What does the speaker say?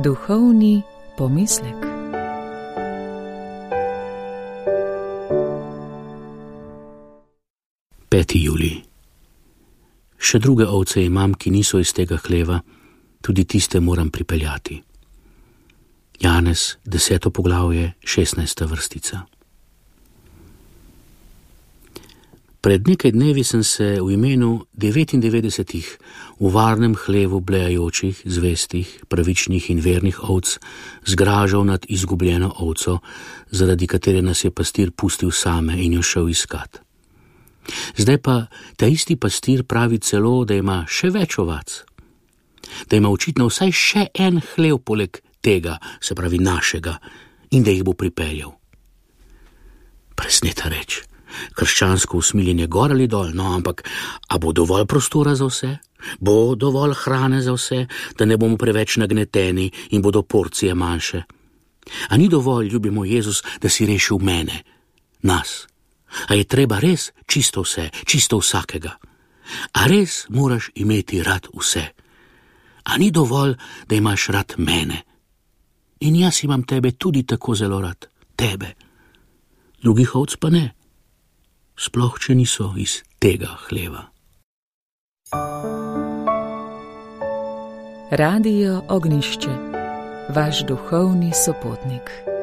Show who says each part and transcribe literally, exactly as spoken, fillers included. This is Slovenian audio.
Speaker 1: Duhovni pomislek.
Speaker 2: peti julij. Še druge ovce imam, ki niso iz tega hleva, tudi tiste moram pripeljati. Janez, deseto poglavje, šestnajsta vrstica. Pred nekaj dnevi sem se v imenu devetindevetdesetih v varnem hlevu blejajočih, zvestih, pravičnih in vernih ovc zgražal nad izgubljeno ovco, zaradi katere nas je pastir pustil same in jo šel iskat. Zdaj pa ta isti pastir pravi celo, da ima še več ovac, da ima očitno vsaj še en hlev poleg tega, se pravi našega, in da jih bo pripeljal. Presneta reč. Krščansko usmiljenje gor ali dol, no, ampak a bo dovolj prostora za vse? Bo dovolj hrane za vse, da ne bomo preveč nagneteni in bodo porcije manjše? A ni dovolj, ljubi moj Jezus, da si rešil mene, nas? A je treba res čisto vse, čisto vsakega? A res moraš imeti rad vse? A ni dovolj, da imaš rad mene? In jaz imam tebe tudi tako zelo rad, tebe. Drugih ovc pa ne. Sploh, če niso iz tega hleva.
Speaker 1: Radio Ognjišče, vaš duhovni sopotnik.